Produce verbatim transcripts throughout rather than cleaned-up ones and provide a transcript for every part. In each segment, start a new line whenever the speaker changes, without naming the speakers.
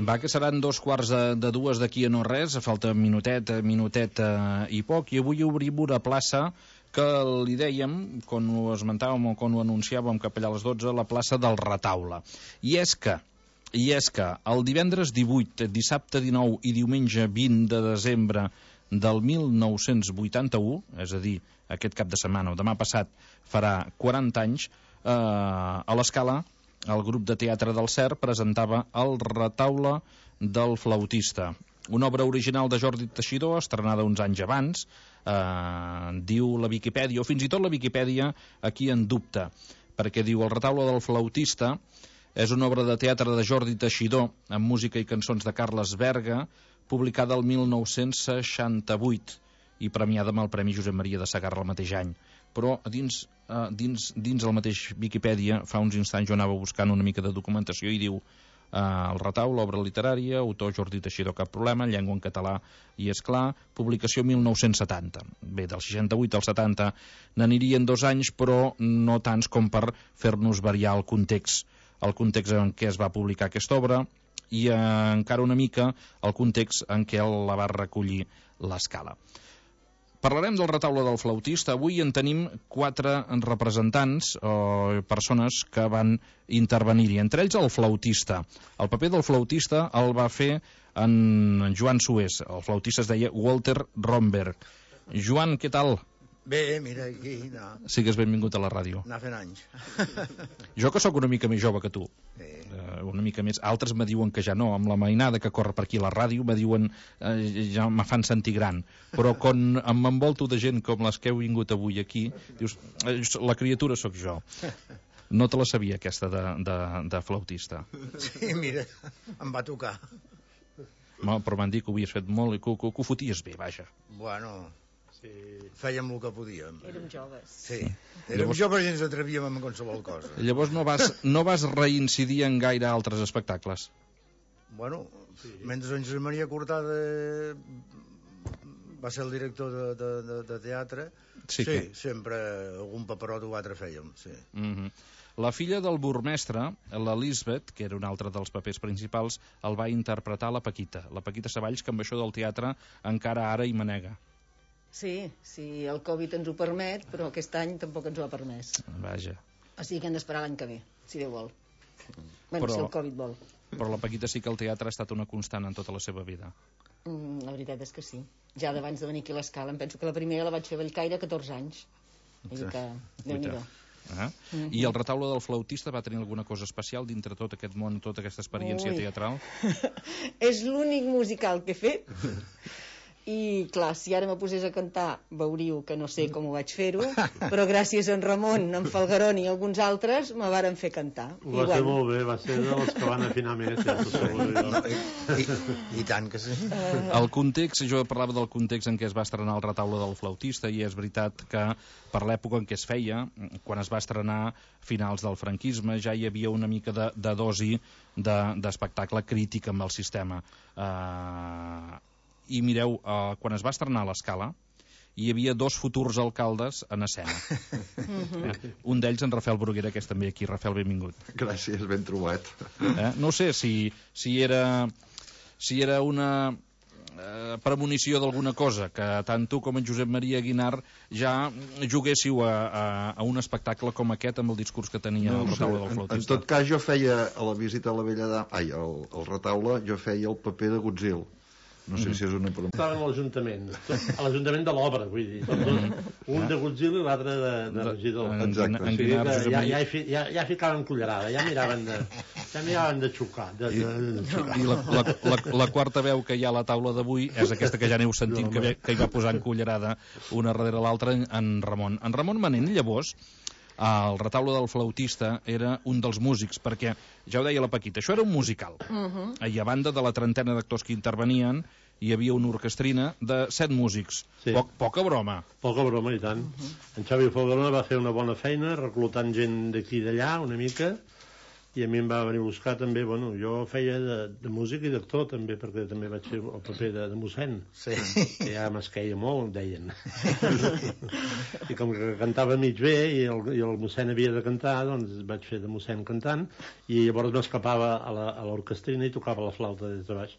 Va, que seran dos quarts de, de dues d'aquí a no res, falta minutet, minutet eh, i poc, i avui obrim una plaça que li dèiem, quan ho esmentàvem o quan ho anunciàvem cap allà a les dotze, la plaça del Retaule. I és que, i és que el divendres divuit, dissabte dinou i diumenge vint de desembre del mil nou-cents vuitanta-u, és a dir, aquest cap de setmana o demà passat farà quaranta anys, eh, a l'Escala, el grup de teatre del Cer presentava El Retaule del Flautista, una obra original de Jordi Teixidor, estrenada uns anys abans, eh, diu la Viquipèdia, o fins i tot la Viquipèdia aquí en dubte, perquè diu El Retaule del Flautista és una obra de teatre de Jordi Teixidor, amb música i cançons de Carles Berga, publicada el mil nou-cents seixanta-vuit i premiada amb el Premi Josep Maria de Sagarra el mateix any. Però dins, eh, dins, dins el mateix Viquipèdia, fa uns instants jo anava buscant una mica de documentació i diu eh, El Retaule, obra literària, autor Jordi Teixidor, cap problema, llengua en català i és clar, publicació mil nou-cents setanta. Bé, del seixanta-vuit al setanta n'anirien dos anys, però no tants com per fer-nos variar el context, el context en què es va publicar aquesta obra i eh, encara una mica el context en què la va recollir l'Escala. Parlarem del Retaule del Flautista. Avui en tenim quatre representants o persones que van intervenir-hi, entre ells el flautista. El paper del flautista el va fer en Joan Sués. El flautista es deia Walter Romberg. Joan, què tal?
Bé, mira, aquí... No.
Sigues benvingut a la ràdio.
Anar fent anys.
Jo que sóc una mica més jove que tu,
Sí.
eh, una mica més, altres me diuen que ja no, amb la mainada que corre per aquí a la ràdio me diuen, eh, ja me fan sentir gran, però quan m'envolto de gent com les que heu vingut avui aquí, dius, eh, la criatura sóc jo. No te la sabia aquesta de, de, de flautista.
Sí, mira, em va tocar.
No, però m'han dit que ho havies fet molt i que, que, que ho foties bé, vaja.
Bueno, sí, fèiem el que podíem.
Érem joves.
Sí, érem
Llavors...
joves i ens atrevíem amb qualsevol cosa.
Llavors no vas, no vas reincidir en gaire altres espectacles?
Bueno, sí. Mentre en Josep Maria Cortada va ser el director de, de, de, de teatre,
sí,
sí
que...
sempre algun paperot o altre fèiem, sí.
Mm-hmm. La filla del burmestre, la Lisbeth, que era un altre dels papers principals, el va interpretar la Paquita. La Paquita Savalls, que amb això del teatre encara ara hi manega.
Sí, sí, el Covid ens ho permet, però aquest any tampoc ens ho ha permès.
Vaja.
O sigui que hem d'esperar l'any que ve, si Déu vol. Bueno,
però,
si el Covid vol.
Però la Paquita sí que el teatre ha estat una constant en tota la seva vida.
Mm, la veritat és que sí. Ja d'abans de venir aquí a l'Escala, em penso que la primera la vaig fer a Bellcaire a catorze anys. Vull dir que, Déu-n'hi-do.
Ah. Mm-hmm. I el Retaule del Flautista va tenir alguna cosa especial dintre tot aquest món, tota aquesta experiència
Ui.
teatral?
És l'únic musical que he fet. I clar, si ara me posés a cantar veuríeu que no sé com ho vaig fer-ho, però gràcies a en Ramon, en Falgarón i alguns altres me varen fer cantar.
Ho va
I,
ser
bueno,
molt bé, va ser dels que van afinar més, ja t'ho asseguro jo.
No, i, i, I tant que sí.
El context, jo parlava del context en què es va estrenar el Retaule del Flautista, i és veritat que per l'època en què es feia, quan es va estrenar finals del franquisme, ja hi havia una mica de, de dosi d'espectacle de, crític amb el sistema. Uh, i mireu, uh, quan es va estrenar a l'Escala hi havia dos futurs alcaldes en escena. eh? Un d'ells en Rafael Bruguera, que és també aquí. Rafael, benvingut.
Gràcies, ben trobat.
Eh? No sé si, si era si era una eh, premonició d'alguna cosa, que tant tu com en Josep Maria Guinart ja juguéssiu a, a, a un espectacle com aquest amb el discurs que tenia no, el Retaule del Flautista.
En, en tot cas, jo feia a la visita a la Vella Dama, ai, al, al Retaule, jo feia el paper de Godzilla. No sé si és una pregunta.
Estaven a l'Ajuntament, a l'Ajuntament de l'Obra, vull dir. Un de Godzilla i l'altre de, de regidor.
Exacte.
O sigui que ja, ja, ja, ja ficaven cullerada, ja miraven de, ja miraven de xocar. De, de, de xocar.
I la, la, la, la quarta veu que hi ha a la taula d'avui és aquesta que ja aneu sentint, que, que hi va posant cullerada una darrere l'altra, en Ramon. En Ramon Manent, llavors, el Retaule del Flautista era un dels músics, perquè ja ho deia la Paquita, això era un musical. Uh-huh. I a banda de la trentena d'actors que intervenien hi havia una orquestrina de set músics. Sí. Poc, poca broma.
Poca broma, i tant. Uh-huh. En Xavi Falgarona va fer una bona feina reclutant gent d'aquí i d'allà una mica, i a mi em va venir a buscar també, bueno, jo feia de, de músic i d'actor també, perquè també vaig fer el paper de, de mossèn,
Sí.
que ja m'esqueia molt, em deien. I com que cantava mig bé i el, i el mossèn havia de cantar, doncs vaig fer de mossèn cantant, i llavors m'escapava a la- a l'orquestrina i tocava la flauta des de baix.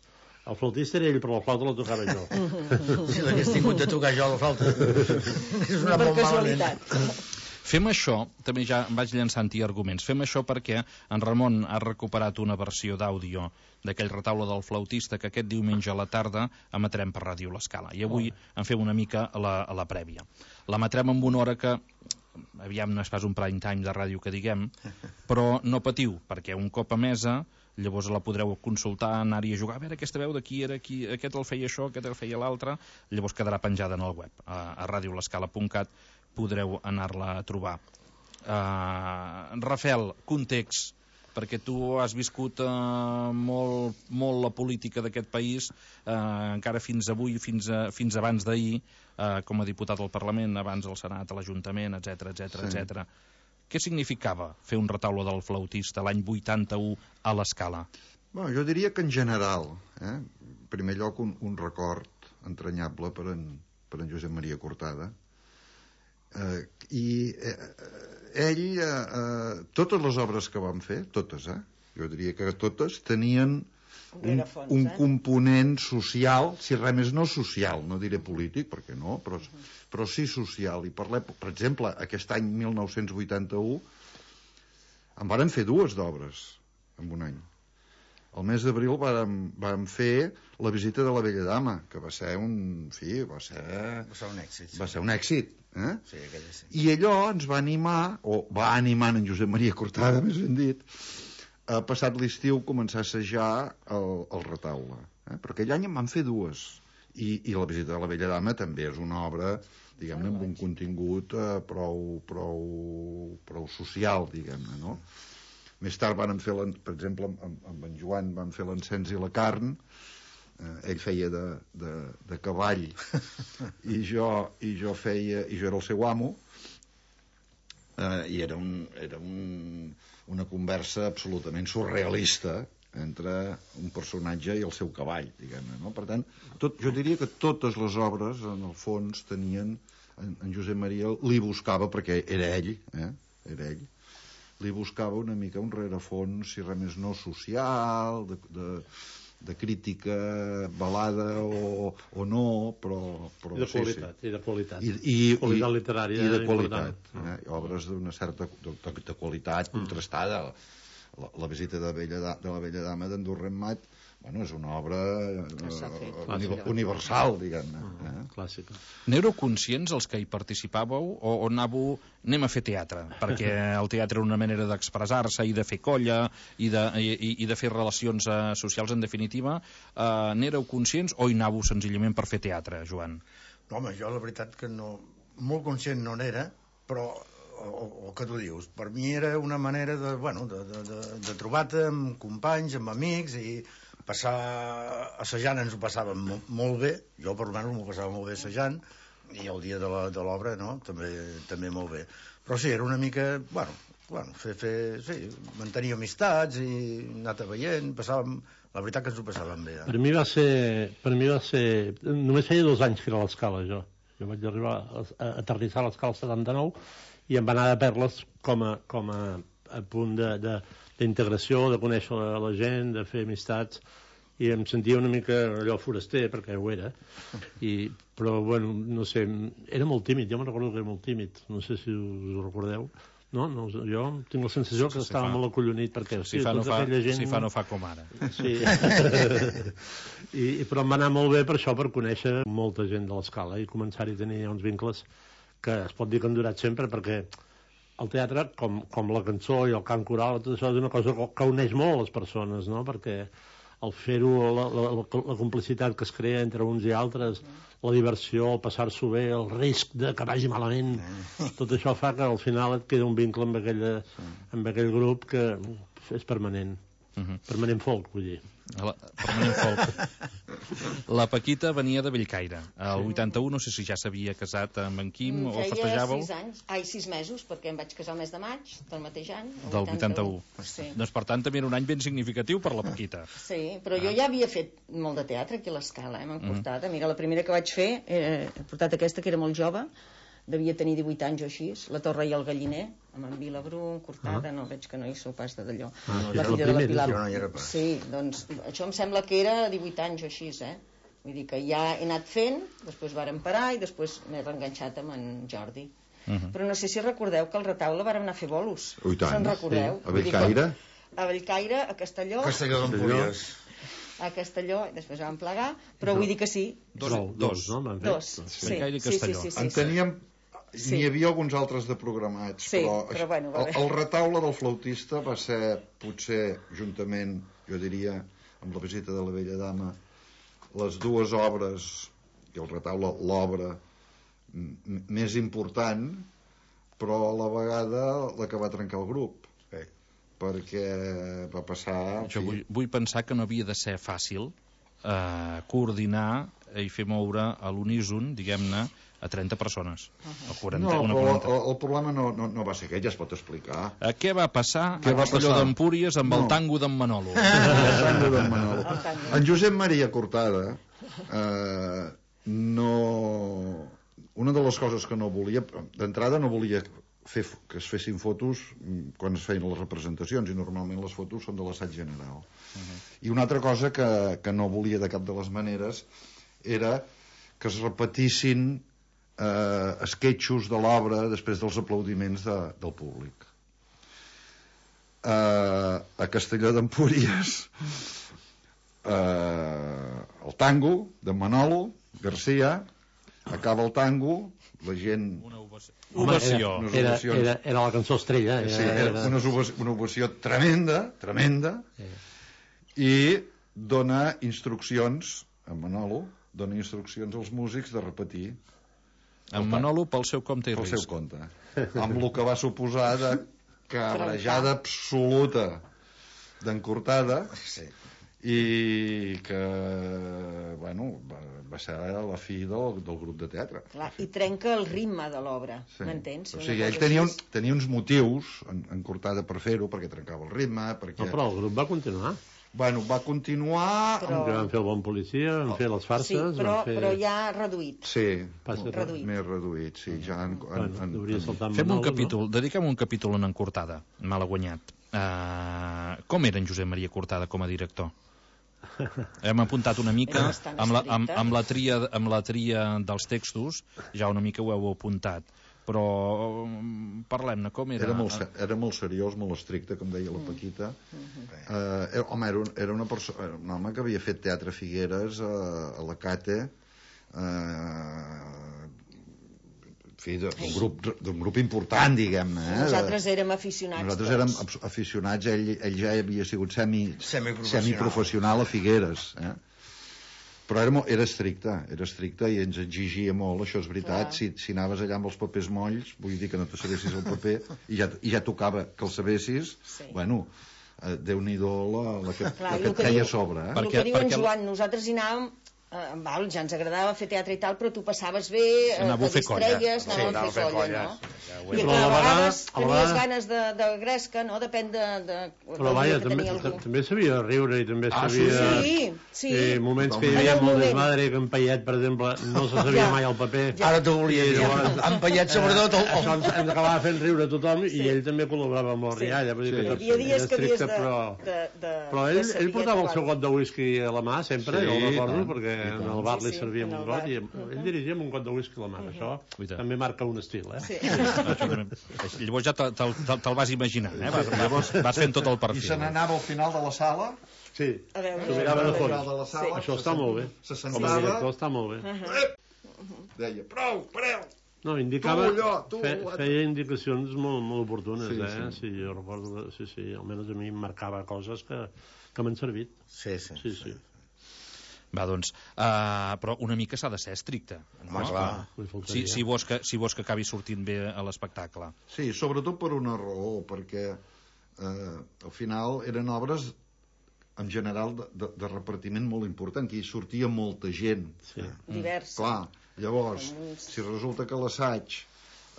El flautista era ell, però la flauta la tocava jo.
Si l'hagués tingut de tocar jo la flauta. És una
Per
molt malament.
casualitat.
Fem això, també ja em vaig llançant-hi arguments, fem això perquè en Ramon ha recuperat una versió d'àudio d'aquell retaule del flautista que aquest diumenge a la tarda emetrem per Ràdio L'Escala. I avui en fem una mica a la, a la prèvia. L'emetrem amb una hora que, aviam, no és pas un prime time de ràdio que diguem, però no patiu, perquè un cop a mesa llavors la podreu consultar, anar-hi a jugar, a veure aquesta veu d'aquí era aquí, aquest el feia això, aquest el feia l'altre, llavors quedarà penjada en el web, a, a radio l'escala punt cat podreu anar-la a trobar. Uh, Rafel, context, perquè tu has viscut uh, molt, molt la política d'aquest país, uh, encara fins avui, fins, a, fins abans d'ahir, uh, com a diputat al Parlament, abans al Senat, a l'Ajuntament, etcètera, etcètera,
Sí.
etcètera. Què significava fer un retaule del flautista l'any vuitanta-u a l'Escala?
Bueno, jo diria que en general, eh? en primer lloc un, un record entranyable per en, per en Josep Maria Cortada, eh, i eh, ell, eh, eh, totes les obres que vam fer, totes, eh? jo diria que totes, tenien un,
Rerefons,
un
eh?
component social, si res més no social, no diré polític, perquè no, però, però sí social. I parlem, per exemple, aquest any mil nou-cents vuitanta-u en varen fer dues d'obres en un any. El mes d'abril vàrem, vàrem fer La visita de la vella dama, que va ser un... En fi, va ser...
Va ser un èxit. Sí.
Va ser un èxit. Eh?
Sí, aquella sí.
I allò ens va animar, o va animar en Josep Maria Cortada, més ben dit, a passat l'estiu començar a assajar el, el retaule. Eh? Però aquell any en van fer dues. I, I La visita de la vella dama també és una obra, diguem-ne, amb un contingut eh, prou, prou, prou social, diguem-ne, no? Més tard van fer, per exemple, amb, amb en Joan van fer l'encens i la carn, eh, ell feia de, de, de cavall i jo, i jo feia, i jo era el seu amo, eh, i era, un, era un, una conversa absolutament surrealista entre un personatge i el seu cavall, diguem-ne, no? Per tant, tot, jo diria que totes les obres, en el fons, tenien... En, en Josep Maria li buscava, perquè era ell, eh? era ell, li buscava una mica un rerefons, si res més no, social, de, de, de crítica balada o, o no, però... però
I de
sí,
qualitat,
sí.
i de qualitat.
I, i,
Qualitat
i,
literària
i de
important.
qualitat, eh? obres d'una certa de, de, de qualitat contrastada. La, la visita de, Bella, da- de la vella dama d'Andorra Mat, bueno, és una obra
Que s'ha fet.
eh, uni, universal, diguem-ne. Eh?
Clàssica.
N'éreu conscients, els que hi participàveu, o, o anàveu, anem a fer teatre, perquè el teatre era una manera d'expressar-se i de fer colla i de, i, i de fer relacions uh, socials, en definitiva, uh, n'éreu conscients o hi anàveu senzillament per fer teatre, Joan?
No, home, jo la veritat que no... Molt conscient no n'era, però o, o que tu dius, per mi era una manera de, bueno, de, de, de, de trobar-te amb companys, amb amics, i passar assajant ens ho passàvem mo molt bé, jo per almenys m'ho passava molt bé assajant, i el dia de l'obra, no?, també, també molt bé. Però sí, era una mica, bueno, bueno fer, fer, sí, mantenir amistats i anar veient, passàvem, la veritat que ens ho passàvem bé. Eh?
Per mi va ser... Per mi va ser... Només feia dos anys que era a l'Escala, jo. Jo vaig arribar a, a aterrissar a l'Escala setanta-nou i em va anar de perles com a, com a, a punt de... de d'integració, de conèixer la, la gent, de fer amistats, i em sentia una mica allò foraster, perquè ho era, I, però, bueno, no sé, era molt tímid, jo me'n recordo que era molt tímid, no sé si us ho recordeu, no? no jo tinc la sensació que
Si
estava
fa.
molt acollonit, perquè
Si
sí,
fa, no
tota
fa,
aquella gent...
si fa no fa com ara.
Sí. I, però em va anar molt bé per això, per conèixer molta gent de l'Escala i començar-hi a tenir uns vincles que es pot dir que han durat sempre, perquè el teatre, com, com la cançó i el cant coral, tot això és una cosa que uneix molt les persones, no? Perquè el fer-ho, la, la, la complicitat que es crea entre uns i altres, la diversió, el passar-s'ho bé, el risc de que vagi malament, tot això fa que al final et queda un vincle amb, aquella, amb aquell grup que és permanent.
Uh-huh.
Permanent folk, vull dir.
La, permanent folk. La Paquita venia de Bellcaire. Al vuitanta-u no sé si ja s'havia casat amb en Quim o festejàveu.
Feia sis anys, ai, sis mesos, perquè em vaig casar el mes de maig del mateix any.
Del vuitanta-u.
Sí.
Doncs per tant també era un any ben significatiu per la Paquita.
Sí, però jo ja havia fet molt de teatre aquí a l'Escala, eh, m'han portat. Mira, la primera que vaig fer, eh, he portat aquesta que era molt jove, devia tenir divuit anys o així, La Torre i el Galliner, amb en Vilabrú, Cortada, no veig que no hi sou pas de d'allò.
Ah,
la filla de la Pilar.
Jo no hi era pas.
Sí, doncs això em sembla que era divuit anys o així, eh? Vull dir que ja he anat fent, després vàrem parar i després m'he reenganxat amb en Jordi.
Uh-huh.
Però no sé si recordeu que al Retaule vàrem anar a fer bolos.
Ui, tant.
Se'n recordeu?
Sí. A Bellcaire?
A Bellcaire, a Castelló.
Castelló d'Empúries.
A Castelló, i després vam plegar, però vull dir que sí.
Dos,
Dos, dos, no? M'han fet?
Dos, sí.
Bellcaire i
Sí, sí,
Castelló.
sí, sí,
En
sí.
teníem...
Sí.
N'hi havia alguns altres de programats,
Sí,
però,
però bueno, va
el,
bé.
el retaule del flautista va ser, potser, juntament, jo diria, amb la visita de la vella dama, les dues obres, i el retaule, l'obra m- més important, però a la vegada la que va trencar el grup.
Sí.
Perquè va passar... en
Jo
fi,
vull, vull pensar que no havia de ser fàcil eh, coordinar i fer moure a l'uníson, diguem-ne, a trenta persones. O quaranta,
No,
una
però
quaranta.
el, el problema no, no, no va ser aquest, ja es pot explicar.
Eh, què va passar
Què
a
va
Castelló
passar?
d'Empúries amb
No.
el tango d'en Manolo?
El tango d'en Manolo.
El tango.
En Josep Maria Cortada eh, no... Una de les coses que no volia, d'entrada no volia fer f- que es fessin fotos mm, quan es feien les representacions, i normalment les fotos són de l'assaig general. Uh-huh. I una altra cosa que, que no volia de cap de les maneres era que es repetissin eh, esquetxos de l'obra després dels aplaudiments de, del públic. Eh, a Castelló d'Empúries eh, el tango de Manolo Garcia, acaba el tango, la gent...
Una ovació.
Home,
Ovació.
Unes
Era,
ovacions.
era, era la cançó estrella. Era,
Sí, era una, ovació, una ovació tremenda, tremenda, i dona instruccions, en Manolo, dona instruccions als músics de repetir
En Manolo pel seu compte i
pel
risc.
seu compte, amb el que va suposar de cabrejada absoluta d'encortada,
Sí.
i que, bueno, va, va ser la fi del, del grup de teatre.
Clar, i trenca el ritme de l'obra,
Sí.
m'entens?
O
Una
sigui,
cosa
ell tenia, un,
així.
tenia uns motius en, en Cortada per fer-ho, perquè trencava el ritme, perquè...
No, però el grup va continuar.
Bueno, va continuar...
Però-
Que van fer el bon policia, van fer les farses...
Sí, però,
van fer...
però ja reduït.
Sí,
Passa
molt
reduït.
més reduït, sí, ja en, en,
Bueno,
en,
hauria
en,
saltat
Fem un
Manolo,
capítol, dediquem un capítol en en Cortada, mal guanyat. Uh, com era en Josep Maria Cortada com a director? Hem apuntat una mica
Era bastant
amb la, amb,
estricte.
amb, la tria, amb la tria dels textos, ja una mica ho heu apuntat, però um, parlem-ne, com era?
era, molt, se- era molt seriós, molt estricte, com deia la Paquita. Eh, home, era un, era una persona, era un home que havia fet teatre a Figueres, a, a la Cate, eh, en fi, de- d'un grup, d'un grup important, diguem-ne. Eh?
Nosaltres érem aficionats.
Nosaltres érem abs- aficionats, ell, ell ja havia sigut semi,
Semiprofessional.
semiprofessional a Figueres, eh? Però era, mo- era estricte, era estricte i ens exigia molt, això és veritat.
Clar.
Si, si anaves allà amb els papers molls, vull dir que no te sabessis el paper, i ja, i ja tocava que el sabessis,
Sí.
bueno, eh, Déu-n'hi-do la, la que,
Clar,
la
i
que
el
et
que
feia
diu-
a sobre. Eh?
El
Perquè-
que diu en
perquè-
Joan, nosaltres hi anàvem, eh, val, ja ens agradava fer teatre i tal, però tu passaves bé, eh,
Anàveu a
te
fer colla.
distregues,
Sí,
anàvem
anàveu
a fer colla,
colles.
no?
Ja ho
I
he
que
Però
a
a la vegada-
vegades
a la
tenies
vegada-
ganes de, de gresca, no? Depèn de, de,
Però
del
vaja,
dia que
també,
tenia algú.
també sabia riure i també
Ah, sí,
sabia...
Sí, sí.
Eh, moments que hi
En
havia
el
molt
moment.
desmadre, que en Payet, per exemple, no se sabia
Ja.
mai el paper.
Ara t'ho volia
I
dir.
llavors-
Han pallat sobretot el...
Això ens, ens acabava fent riure a tothom i
Sí.
ell també col·laborava amb la
Sí.
rialla. Vull dir
Sí.
que
Hi
tot
havia dies
era
que havies
estricte,
de...
però...
de, de
Però
de
ell, ell
saber
portava el
trobar.
seu got de whisky a la mà sempre,
Sí,
jo el recordo,
tant,
perquè
i
en
tant.
el bar
Sí,
li
sí,
servia
en
un
el
got
bar.
i ell dirigia amb un got de whisky a la mà. Això
Ui, tant.
també marca un estil, eh?
Sí.
Això també. Llavors ja te'l te, te, te vas imaginant, eh? Vas, llavors vas fent tot el
I
perfil.
se n'anava al final de la sala,
Sí,
A veure,
s'ho mirava de
al final
fons.
de la sala,
Això
se
està
sent-
molt bé.
se
Com a
sentava,
director està molt bé.
deia, prou, pareu,
No, indicava,
Tu, allò, tu,
fe,
allò.
feia indicacions molt, molt oportunes,
Sí,
eh?
sí.
Sí, jo recordo, que- sí, sí, almenys a mi em marcava coses que, que m'han servit.
Sí, sí.
Sí, sí.
Va, doncs, uh, però una mica s'ha de ser estricte.
Home, clar.
Li
Si,
faltaria.
si, vols que, si vols que acabi sortint bé a l'espectacle.
Sí, sobretot per una raó, perquè eh, al final eren obres en general, de, de, de repartiment molt important, que hi sortia molta gent.
Sí.
Divers.
Clar, llavors, si resulta que l'assaig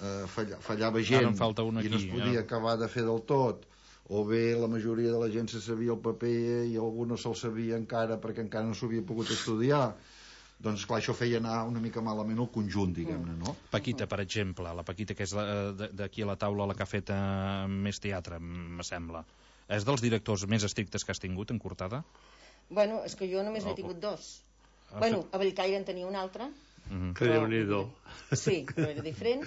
eh, falla, fallava gent
falta un
i no es
aquí,
podia
ja.
acabar de fer del tot, o bé la majoria de la gent se sabia el paper i algú no se'l sabia encara perquè encara no s'havia pogut estudiar, doncs clar, això feia anar una mica malament el conjunt, diguem-ne, no?
Paquita, per exemple, la Paquita, que és la- de- d'aquí a la taula la que ha fet eh, més teatre, me sembla. És dels directors més estrictes que has tingut en Cortada?
Bueno, és que jo només n'he tingut dos.
Ah,
Bueno, a Bellcaire en tenia un altre.
Mhm.
Que Déu-n'hi-do.
Sí, però era diferent.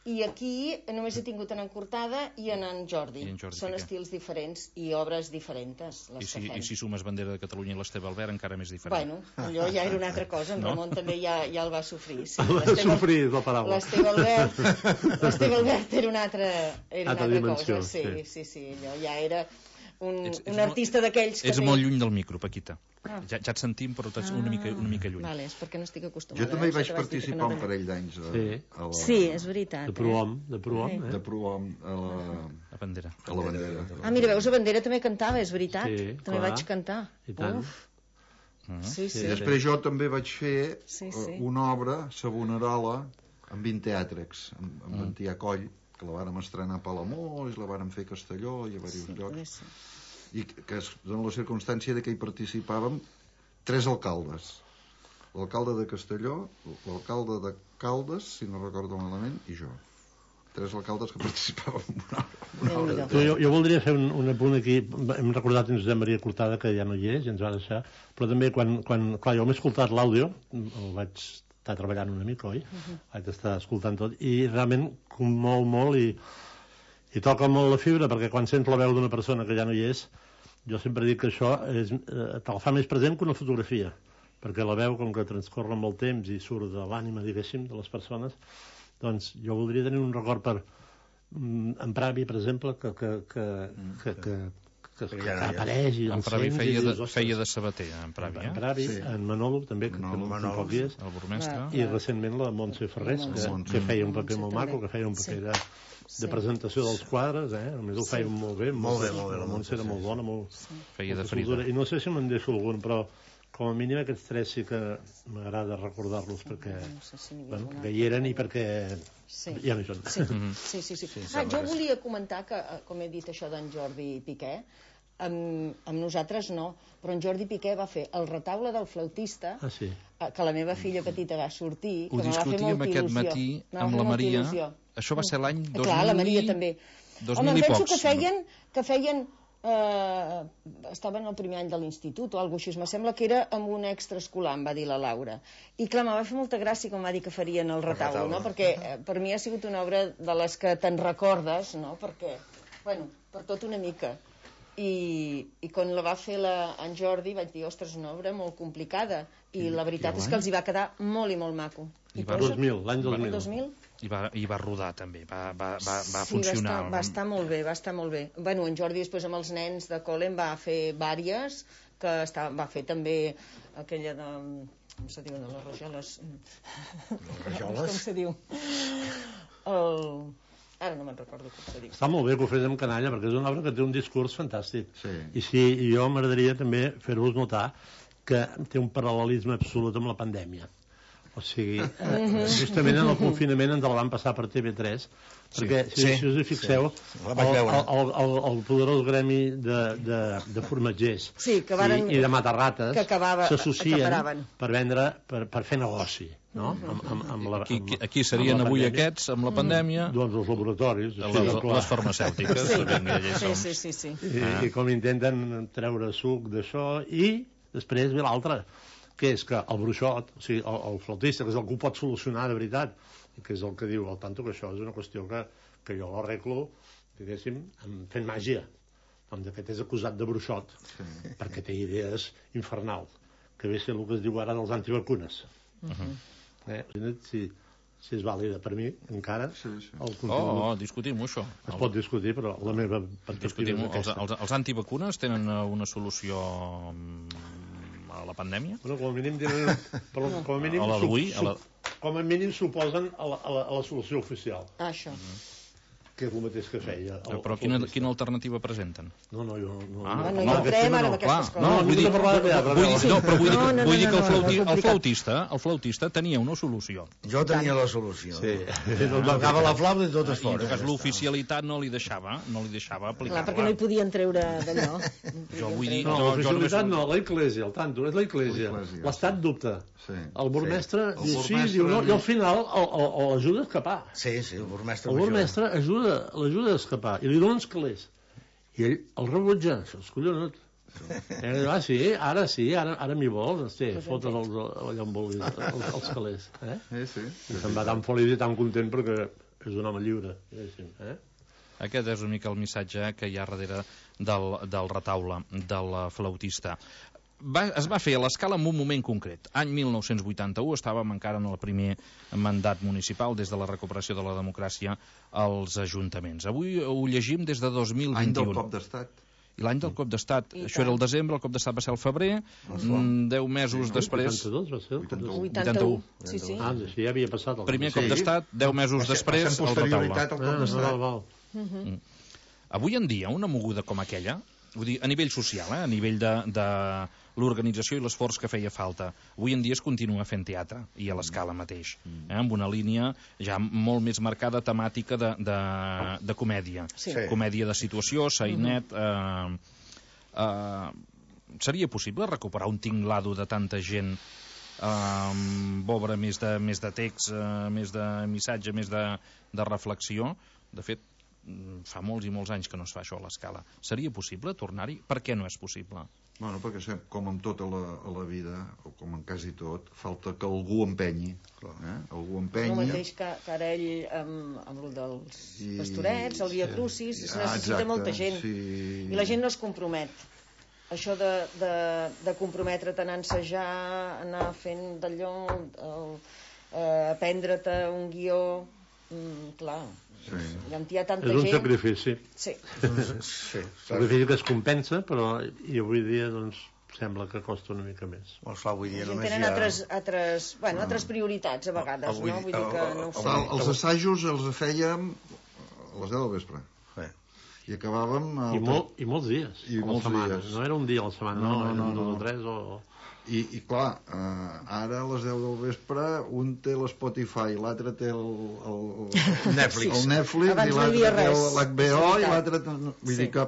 I aquí només he tingut en en Cortada i en en Jordi.
I en Jordi
Són
Piqué.
estils diferents i obres diferents, les
I si,
que fem.
I si sumes Bandera de Catalunya i l'Esteve Albert, encara més diferent.
Bueno, allò ja era una altra cosa. En
No?
Ramon també ja, ja el va sofrir. Sí.
Va
L'Esteve-
sofrir, és la paraula.
L'Esteve Albert, l'Esteve Albert era una altra, era una
Altra
altra
dimensió,
cosa. Sí,
sí.
sí, sí, allò ja era un,
Ets- ets
un
molt-
artista d'aquells que
Ets
té...
molt lluny del micro, Paquita.
Ah.
Ja, ja et sentim, però ets una mica, una mica lluny.
Vale, és perquè no estic acostumada.
Jo també hi
Això
vaig
que vas dir que
participar
no
un
tenia-
parell d'anys a,
Sí.
a la,
Sí, és veritat.
De
Eh?
Prohom, de Prohom,
Sí.
eh?
de Prohom a la,
La Bandera.
a la bandera.
Ah, mira, veus, a Bandera també cantava, és veritat.
Sí,
també
clar.
vaig cantar.
I tant.
Uf,
Mhm.
sí, sí.
I després jo també vaig fer
Sí,
eh,
sí.
una obra, Sabonerola, amb vint teàtrics, amb, amb mm. Antià Coll, que la vàrem estrenar a Palamós, la vàrem fer a Castelló i a diversos
Sí,
llocs.
poder ser.
I que, que es dona la circumstància de que hi participàvem tres alcaldes. L'alcalde de Castelló, l'alcalde de Caldes, si no recordo malament, i jo. Tres alcaldes que participàvem en una, una obra.
Déu-n'hi-do.
Tu, jo, jo voldria fer un, un apunt aquí. Hem recordat en Josep Maria Cortada, que ja no hi és, i ens va deixar, però també quan, quan clar, jo m'he escoltat l'àudio, el vaig estar treballant una mica, oi? Uh-huh. Vaig estar escoltant tot, i realment molt, molt, i, i toca molt la fibra, perquè quan sents la veu d'una persona que ja no hi és, jo sempre dic que això és, eh, te'l fa més present que una fotografia, perquè la veu, com que transcorre molt temps i surt de l'ànima, diguéssim, de les persones, doncs jo voldria tenir un record per mm, en Pravi, per exemple, que, que, que, que, que, que, que, que apareix i
En
el
Pravi
sents i
feia de,
dius, "Ostres".
feia de sabater, en Pravi,
En
eh?
Pravi,
Sí.
en Manolo també, que
Manolo,
té
Manolo,
pocs dies,
El burmestre.
Va.
i recentment la Montse Ferrés, que,
Montse.
que feia un paper
Montse
molt
també.
maco, que feia un paper
Sí.
de, de presentació dels quadres, eh? A més ho feia molt bé.
Molt bé, molt bé,
La
la
Montse era
Montse,
molt
sí.
bona, molt,
Feia de
molta
Frida.
soltura. I no sé si me'n deixo algun, però com a mínim aquests tres sí que m'agrada recordar-los perquè
No sé si n'hi havia
bueno,
algun
que
altre.
hi eren i perquè
Sí.
ja no hi són.
Sí, sí, sí. sí.
Sí,
Ah,
sembla
jo
que
volia comentar que, eh, com he dit això d'en Jordi Piqué, amb, amb nosaltres no, però en Jordi Piqué va fer el retaule del flautista,
Ah, sí.
eh, que la meva filla petita va sortir,
Ho
que me va fer
discutíem
molta
aquest
il·lusió.
matí
Me va
amb
fer
la
molta
Maria.
il·lusió.
Això va ser l'any dos mil...
Clar, la Maria també.
dos
Home,
mil
em
i
penso
pocs.
que feien, que feien eh, estaven al primer any de l'institut o alguna cosa així, me sembla que era amb un extraescolar, em va dir la Laura, i clar, me va fer molta gràcia com va dir que farien el retaule,
retaule.
no? Perquè eh, per mi ha sigut una obra de les que te'n recordes, no? Perquè, bueno, per tot una mica. I, i quan la va fer la, en Jordi vaig dir, ostres, una obra molt complicada, i la veritat és que els hi va quedar molt i molt maco.
I
I
va-
posa-
dos mil, l'any dos
el
mil.
dos mil?
I va, I va rodar també, va, va, va, va
Sí,
funcionar.
va estar, va estar molt bé, va estar molt bé. Bueno, en Jordi després amb els nens de col·le en va fer vàries, que està, va fer també aquella de... com se diu, de les rajoles?
Les rajoles?
Com se diu? El... Ara no me'n recordo com se diu.
Està molt bé que ho fes amb canalla, perquè és una obra que té un discurs fantàstic.
Sí.
I sí, i jo m'agradaria també fer-vos notar que té un paral·lelisme absolut amb la pandèmia. O sigui, eh, justament en el confinament ens la van passar per T V tres, perquè si,
Sí,
si us hi fixeu,
sí. La vaig
el,
veure.
el, el, el poderós gremi de, de, de formatgers
Sí, que varen-
i, i de matarrates
que acabava-
s'associen
acaparaven.
per vendre, per, per fer negoci, no? Amb, amb, amb la,
Aquí,
amb,
aquí serien
amb la
avui
pandèmia.
aquests, amb la pandèmia,
Doncs els laboratoris.
les,
sí,
les,
clar.
les farmacèutiques.
Sí,
vinga, ja hi
sí,
som.
sí, sí, sí.
I,
Ah.
i com intenten treure suc d'això, i després ve l'altre, que és que el bruixot, o sigui, el, el flautista, que és el que ho pot solucionar de veritat, que és el que diu el tanto, que això és una qüestió que, que jo l'arreglo, diguéssim, amb- fent màgia. Doncs aquest és acusat de bruixot, sí. perquè té idees infernals, que ve a ser el que es diu ara dels antivacunes. Uh-huh. eh? Si, si és vàlida per mi, encara,
Sí, sí.
el
Oh,
contingut
oh, discutim-ho, això.
es pot discutir, però la meva perspectiva
Discutim
és
els,
aquesta.
els, els antivacunes tenen eh, una solució mm, a la pandèmia?
Bueno, com a mínim tenen, però com a mínim
A la d'avui,
sup-
a la-
sup- com a mínim suposen a la, a la, a la solució oficial.
Ah, això.
Mm.
Què
que és el mateix que feia. El,
Però quina, quina alternativa presenten?
No, no, jo... No,
Ah,
No, no
no,
hi entrem ara amb
clar,
aquestes
no,
coses.
vull dir,
parlar de teatre,
vull dir, no, però vull dir,
No, no,
vull dir
no,
que el,
no,
flauti,
no, no,
el flautista el flautista tenia una solució.
Jo tenia la solució.
Sí.
Tocava la flauta i tot es
I en
fora.
tot cas l'oficialitat no li deixava no li deixava
Clar,
aplicar-la.
perquè no hi podien treure d'allò.
Jo vull dir-
No,
Jo- jo
l'oficialitat
només-
no, la Iglesia, al tanto, és la Iglesia.
L'Església,
L'Estat
sí.
dubta.
Sí.
El burmestre
Sí.
diu
El
sí,
burmestre-
diu no, i al final el- el- el- l'ajuda a escapar.
Sí, sí, el burmestre
El
major.
burmestre ajuda, l'ajuda a escapar i li dona uns calés. I ell el rebutja, això és collonut. Eh, ah, sí, ara sí, ara, ara m'hi vols, sí, fotes els, allà on vulguis, els, els calés. Eh?
Sí, sí.
I se'n va tan feliç i tan content perquè és un home lliure. Eh?
Aquest és una mica el missatge que hi ha darrere del, del retaule, del flautista. Va, es va fer a l'escala en un moment concret. Any mil nou-cents vuitanta-u, estàvem encara en el primer mandat municipal des de la recuperació de la democràcia als ajuntaments. Avui ho llegim des de dos mil
Any
vint-i-u.
del cop d'estat.
I l'any del cop d'estat,
I
això
tant.
era el desembre, el cop d'estat va ser el febrer, mm, deu mesos després...
vuitanta-dos va ser?
vuitanta-u.
vuitanta-u. Sí, sí.
Ah, sí, ja havia passat. El
Primer
Sí.
cop d'estat, deu mesos
Va ser-
després,
va ser
el
amb
retaule.
posterioritat al
Ah,
cop
val,
d'estat.
val.
Avui en dia, una moguda com aquella, vull dir, a nivell social, eh, a nivell de, de l'organització i l'esforç que feia falta, avui en dia es continua fent teatre, i a l'escala mateix, eh, amb una línia ja molt més marcada temàtica de, de, de comèdia.
Sí.
Comèdia de situació, sainet... Eh, eh, seria possible recuperar un tinglado de tanta gent eh, amb obra més de, més de text, eh, més de missatge, més de, de reflexió? De fet, fa molts i molts anys que no es fa això a l'escala. Seria possible tornar-hi? Per què no és possible?
Bueno, perquè sem- com en tota la, a la vida, o com en quasi tot, falta que algú empenyi. Eh? Algú
El
empenyi...
mateix que, que ara ell amb, amb el dels
I-
pastorets, el Via Crucis, es
Ah,
necessita
exacte,
molta gent.
sí.
I la gent no es compromet. Això de, de, de comprometre't a anar a ensejar, anar fent d'allò, el- eh, aprendre't un guió... Mm, clar,
Sí.
ja hi ha tanta
És un
gent...
sacrifici.
Sí.
Sí,
Sacrifici que es compensa, però i avui dia doncs, sembla que costa una mica més.
Molt clar, avui dia
La gent
només
tenen
hi ha...
altres, altres, bueno, altres prioritats a vegades,
Avui-
no? Vull dir que no ho
avui-
fan.
El, els assajos els fèiem a les deu del vespre.
Sí.
I acabàvem... al-
I, molt, I molts dies.
I
a la
molts
setmana.
dies.
No era un dia a la setmana,
No,
no,
no,
eren
no,
dos
no.
o tres o...
I, i clar, eh, ara a les deu del vespre un té l'Spotify, l'altre té el, el,
Netflix.
el Netflix
Abans
i
no hi havia
l'altre té
res,
l'H B O
és
i
veritat.
l'altre... té- Vull
Sí.
dir que,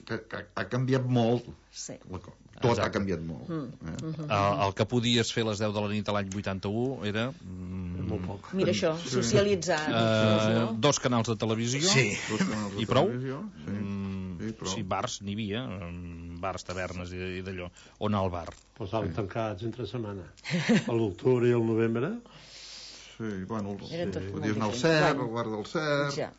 que, que ha canviat molt.
Sí.
La co- Tot
Exacte.
ha canviat molt.
Mm.
Eh?
El, el que podies fer a les deu de la nit a l'any vuitanta-u era... Mm,
Molt poc.
Mira això, socialitzar.
eh,
no?
dos canals de televisió
Sí.
Dos canals de
i prou?
televisió, Sí.
Mm,
Sí, prou.
sí, bars n'hi havia, mm, bars, tavernes i, i d'allò. On anar al bar?
Però estaven tancats entre setmana. A l'octubre i al novembre.
Sí, bueno, el,
Era tot
podies
molt
anar al
diferent.
Cer,
Bueno.
al bar del Cer...
Ja.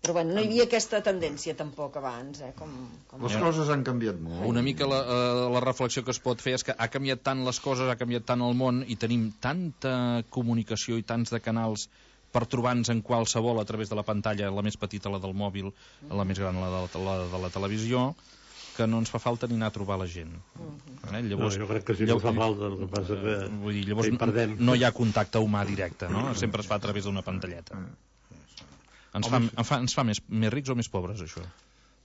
Però bueno, no hi havia aquesta tendència tampoc abans, eh? Com, com...
Les coses han canviat molt.
Una mica la, eh, la reflexió que es pot fer és que ha canviat tant les coses, ha canviat tant el món i tenim tanta comunicació i tants de canals per trobar-nos en qualsevol a través de la pantalla, la més petita, la del mòbil, la més gran, la de la, de la televisió, que no ens fa falta ni anar a trobar la gent. Eh? Llavors,
No, jo crec que sí que
llavors-
fa falta, el que passa que...
Vull dir, llavors
que hi
no,
perdem.
no hi ha contacte humà directe, no? Sempre es fa a través d'una pantalleta. Ens fa, ens fa, ens fa més, més rics o més pobres, això?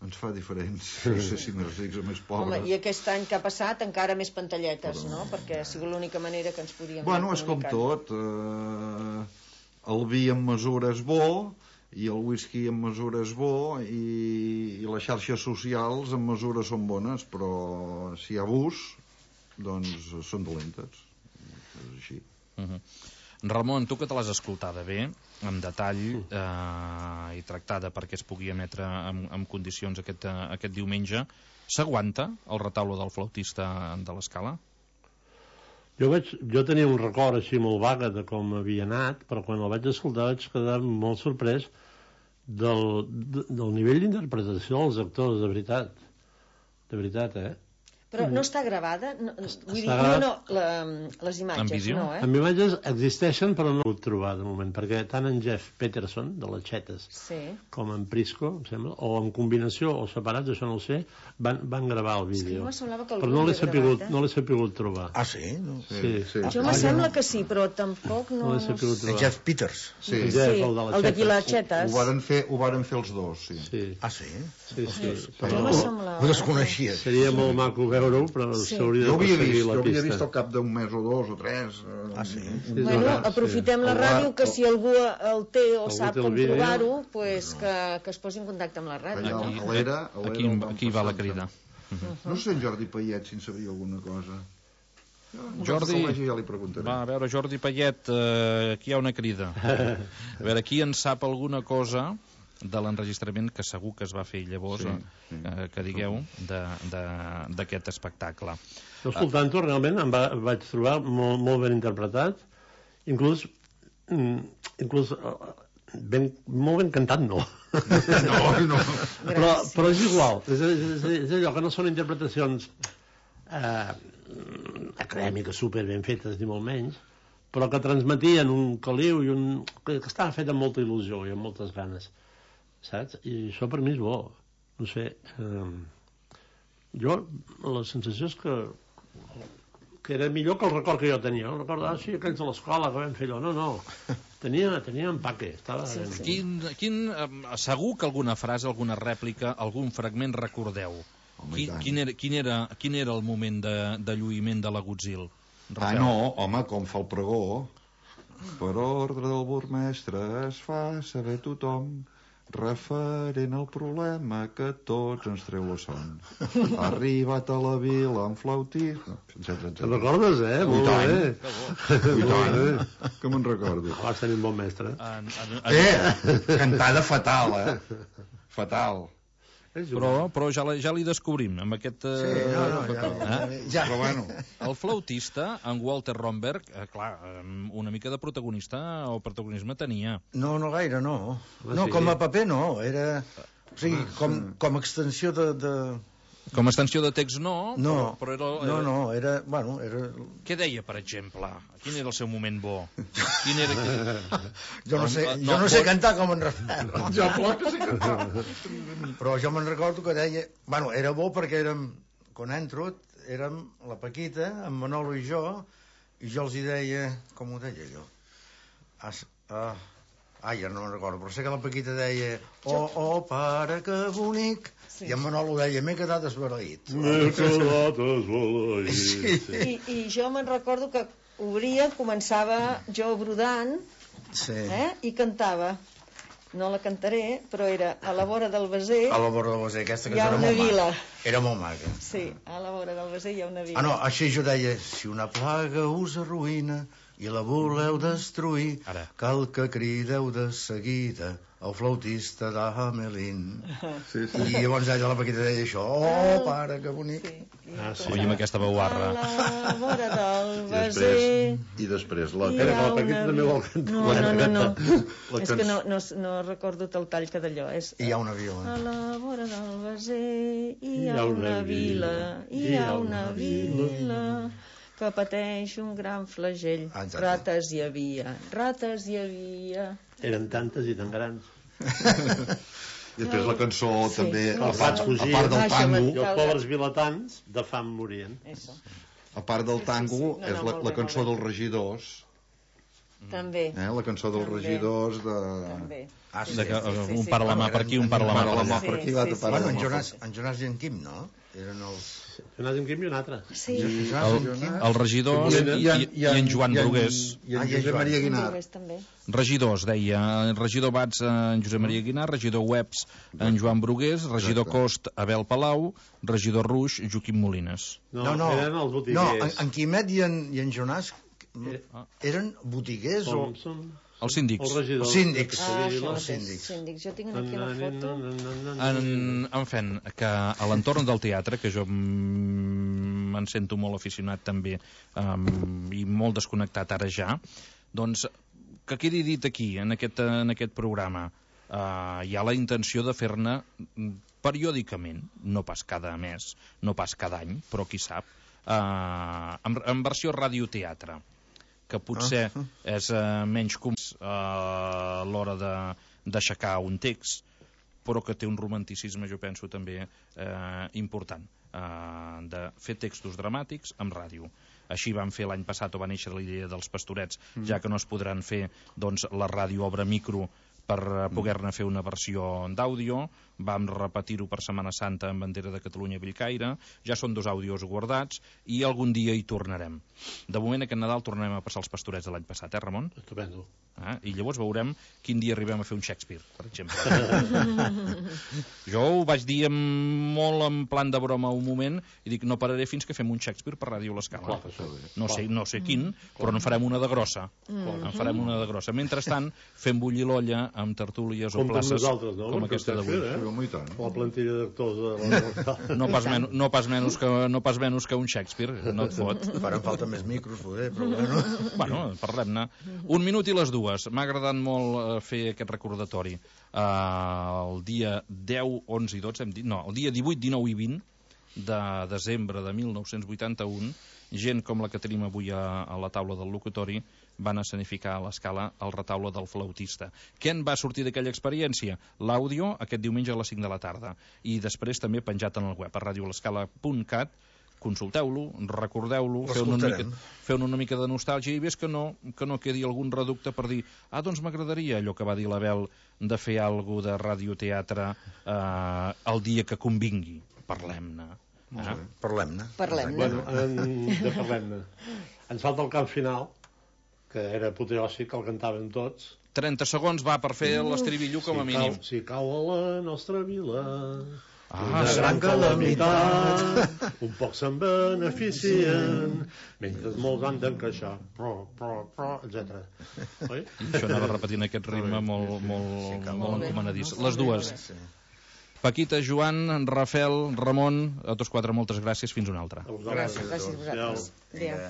Ens fa diferents. No sé si més rics o més pobres.
Home, i aquest any que ha passat encara més pantalletes, no? Perquè ha sigut l'única manera que ens podíem
Bueno, és com
comunicar.
tot. Eh, el vi en mesura és bo, i el whisky en mesura és bo, i, i les xarxes socials en mesura són bones, però si hi ha abús, doncs són dolentes. És així.
Uh -huh. Ramon, tu que te l'has escoltada bé, amb detall, eh, i tractada perquè es pugui emetre en, en condicions aquest, eh, aquest diumenge, s'aguanta el retaule del flautista de l'Escala?
Jo, vaig, jo tenia un record així molt vaga de com havia anat, però quan el vaig escoltar vaig quedar molt sorprès del, de, del nivell d'interpretació dels actors, de veritat. De veritat, eh?
Però no està gravada? No, vull dir,
gravat.
no, no, la, les imatges,
En vídeo?
no, eh?
Amb imatges existeixen, però no ho he pogut trobar de moment, perquè tant en Jeff Peterson, de les Xetes,
Sí.
com en Prisco, em sembla, o en combinació o separats, això no ho sé, van, van gravar el
És que
vídeo.
me semblava que algú
Però no l'he
havia
sapigut,
gravat, eh?
no l'he sapigut trobar.
Ah, sí? No.
Sí, sí.
Jo me sembla que sí, però tampoc no...
No l'he
no
sapigut
sé.
En
trobar.
Jeff Peters.
Sí,
Sí,
Sí,
el de les
el d'aquí les
Xetes.
ho
Xetes.
varen fer, ho varen fer els dos, sí.
Sí,
Ah, sí?
sí, sí.
Jo
Però
me semblava...
Ho desconeixia.
seria molt maco veure-ho, però
Sí.
s'hauria
Jo
de
havia
seguir
vist,
la
jo havia
pista.
vist al cap d'un mes o dos o tres. eh,
Ah, sí?
un-
Bueno,
un-
aprofitem la
El
ràdio,
bar-
que si algú el té o
Algú
sap
té el
com
vídeo.
trobar-ho, pues que, que es posi en contacte amb la ràdio.
Allà,
no?
a l'era, a l'era
Aquí,
el vam
aquí va la
passar,
crida.
No sé en Jordi Payet si en sabia alguna cosa. Jo,
Jordi,
quan el vegi ja li preguntaré.
va, a veure, Jordi Payet, eh, aquí hi ha una crida. A veure, qui en sap alguna cosa de l'enregistrament que segur que es va fer llavors,
Sí,
eh,
sí.
eh, que digueu, de- de- d'aquest espectacle.
Jo escoltant-ho realment em va, vaig trobar molt, molt ben interpretat, inclús, mm, inclús eh, ben, molt ben cantat no.
No, no.
però, però és igual, és, és, és allò que no són interpretacions eh, acadèmiques super ben fetes ni molt menys, però que transmetien un caliu i un... que, que estava fet amb molta il·lusió i amb moltes ganes, saps? I això per mi és bo, no sé, eh, jo la sensació és que que era millor que el record que jo tenia. El record, ah, sí, aquells de l'escola que vam fer allò. No, no, tenia, tenia empaque, estava
Sí,
ben.
sí.
Quin, quin, eh, segur que alguna frase, alguna rèplica, algun fragment recordeu.
Home, i
Quin,
tant.
quin, era, quin, era, quin era el moment de, de lluïment de l'agutzil?
Ah, no, home, com fa el pregó. Per ordre del burmestre es fa saber tothom referent al problema que tots ens treu la son. Ha arribat a la vila amb flautisme, etcètera,
Te'n
etcètera.
recordes, eh? Molt
tant.
bé.
I tant, que me'n recordo.
Vas tenir un bon mestre.
En, en, en,
Eh, cantada fatal, eh? Fatal.
però però ja, la, ja li descobrim amb aquest... Eh,
Sí, no, no, ja,
eh?
ja.
Però bueno,
El flautista, en Walter Romberg, eh, clar, eh, una mica de protagonista o protagonisme tenia.
No, no gaire, no.
Home,
No,
sí.
com a paper no, era... O sigui, com, com a extensió de... de...
Com a extensió de text no,
No,
però, però era, era...
no, no, era... Bueno, era...
Què deia, per exemple? Quin era el seu moment bo? Quin era...
Jo no sé,
No,
jo
no,
no sé
pot-
cantar com en Rafael.
ja plor que sí que
Però jo me'n recordo que deia... Bueno, era bo perquè érem... Quan entro, érem la Paquita, en Manolo i jo, i jo els hi deia... Com ho deia jo? As, ah, ah, ja no me'n recordo, però sé que la Paquita deia oh, oh, pare, que bonic...
Sí.
I en Manolo deia, m'he quedat esbaraït.
M'he quedat esbalaït.
Sí.
I, i jo me'n recordo que obria, començava jo brodant,
Sí.
eh? I cantava. No la cantaré, però era a la vora del Beser,
A la vora del Beser, aquesta
hi
que
ha
era
una
molt
vila.
maca. Era molt maca.
Sí, a la vora del Beser hi ha una vila.
Ah, no, així jo deia, si una plaga us arruïna i la voleu destruir,
Ara.
cal que crideu de seguida el flautista d'Amelín.
Sí, sí.
I llavors ella la Paquita deia això, oh, pare, que bonic.
Sí, i
Ah, sí.
Oi, amb aquesta veu
a
barra.
la vora del
I
Beser
després, i després la...
hi
Espera,
ha
que la Paquita
una
també
vila.
vol cantar.
No, no, no, no.
La
És que no,
cançó-
no, no recordo el tall que d'allò. És...
I hi ha una vila.
A la vora del Beser hi ha una vila, hi ha una vila que pateix un gran flagell.
Ah, exacte.
Rates hi havia, rates hi havia.
Eren tantes i tan grans.
I després la cançó
Sí,
també,
no,
a part,
no,
a part del
no, això
tango,
I els pobres vilatans de fam morien.
Eso.
a part del
Sí, sí,
tango,
sí. No, no,
és la,
molt
la
bé,
cançó
molt bé.
dels regidors,
També,
eh? La cançó dels
També.
regidors de...
també.
Ah, sí,
De que,
sí, sí.
un para la mà per aquí, un para la mà per
Para la
allà.
mà per aquí, l'altre
Sí, sí,
para
Bueno,
la
en
mà per
Jonas, en Jonas i en Quim, no? Eren els...
Jonas en Quim i un altre.
Sí,
El, els regidors i, i, i en Joan Brugués.
I en
Ah, i en
Josep
Joan.
Maria
en
Guinar.
Brugués també.
Regidors, deia. Regidor Bats, en Josep Maria Guinar. Regidor Webs, en Joan Brugués. Regidor
Exacte.
Cost, Abel Palau. Regidor Ruix, Joaquim Molines.
No,
No, no,
eren els
no
botiguers.
en, en Quimet i en, i en Jonas
Eh,
eren botiguers o...
Com són?
Els síndics.
Els regidors.
Els síndics.
Ah,
Sí,
això
els
mateix,
síndics.
síndics. Jo tinc aquí una foto.
En, en fent, que a l'entorn del teatre, que jo mm, me'n sento molt aficionat també um, i molt desconnectat ara ja, doncs que quedi dit aquí, en aquest, en aquest programa, uh, hi ha la intenció de fer-ne periòdicament, no pas cada mes, no pas cada any, però qui sap, eh, en, en versió radioteatre, que potser uh -huh. és eh, menys com eh, a l'hora de d'aixecar un text, però que té un romanticisme, jo penso, també eh, important, eh, de fer textos dramàtics amb ràdio. Així vam fer l'any passat, o va néixer la idea dels Pastorets, mm. ja que no es podran fer, doncs, la ràdio obre micro per poder-ne fer una versió d'àudio. Vam repetir-ho per Setmana Santa amb Bandera de Catalunya a Bellcaire. Ja són dos àudios guardats i algun dia hi tornarem. De moment, aquest Nadal tornarem a passar els Pastorets de l'any passat, eh, Ramon?
Estupendo.
Ah, i llavors veurem quin dia arribem a fer un Shakespeare, per exemple. Jo ho vaig dir amb, molt en plan de broma un moment i dic, no pararé fins que fem un Shakespeare per Ràdio L'Escala. No sé, no sé quin, però en farem una de grossa. Mm. En farem una de grossa. Mentrestant, fem bullir l'olla amb tertúlies o places
no?
com aquesta d'avui.
Eh? La plantilla d'actors de la...
no, pas men no, pas menys que, no pas menys que un Shakespeare, no et fot.
Faran falta més micros, poder, però bueno...
Bueno, parlem-ne. Un minut i les dues. M'ha agradat molt fer aquest recordatori. Uh, el dia deu, onze i dotze, hem dit, no, el dia divuit, dinou i vint de desembre de mil nou-cents vuitanta-u, gent com la que tenim avui a, a la taula del locutori van escenificar a l'Escala el retaule del flautista. Què en va sortir d'aquella experiència? L'àudio aquest diumenge a les cinc de la tarda i després també penjat en el web a radio l'escala punt cat. Consulteu-lo, recordeu-lo, feu una, mica, feu una mica de nostàlgia i ves que no, que no quedi algun reducte per dir, ah, doncs m'agradaria allò que va dir l'Abel de fer alguna de radioteatre eh, el dia que convingui. Parlem-ne.
Eh? Parlem-ne.
Parlem-ne.
Bueno, en, de parlem-ne. Ens falta el cant final, que era apoteòsic, el cantàvem tots.
trenta segons va per fer l'estribillo com a mínim.
Si, si cau a la nostra vila...
Ah,
una gran calamitat, un poc se'n beneficien, mentre molts han d'encaixar, pro, pro, pro, etcètera. Oi?
I això anava repetint aquest ritme molt, molt, molt encomanadís. Les dues. Paquita, Joan, Rafel, Ramon, a tots quatre moltes gràcies, fins una altra.
Gràcies, gràcies a vosaltres. Adéu.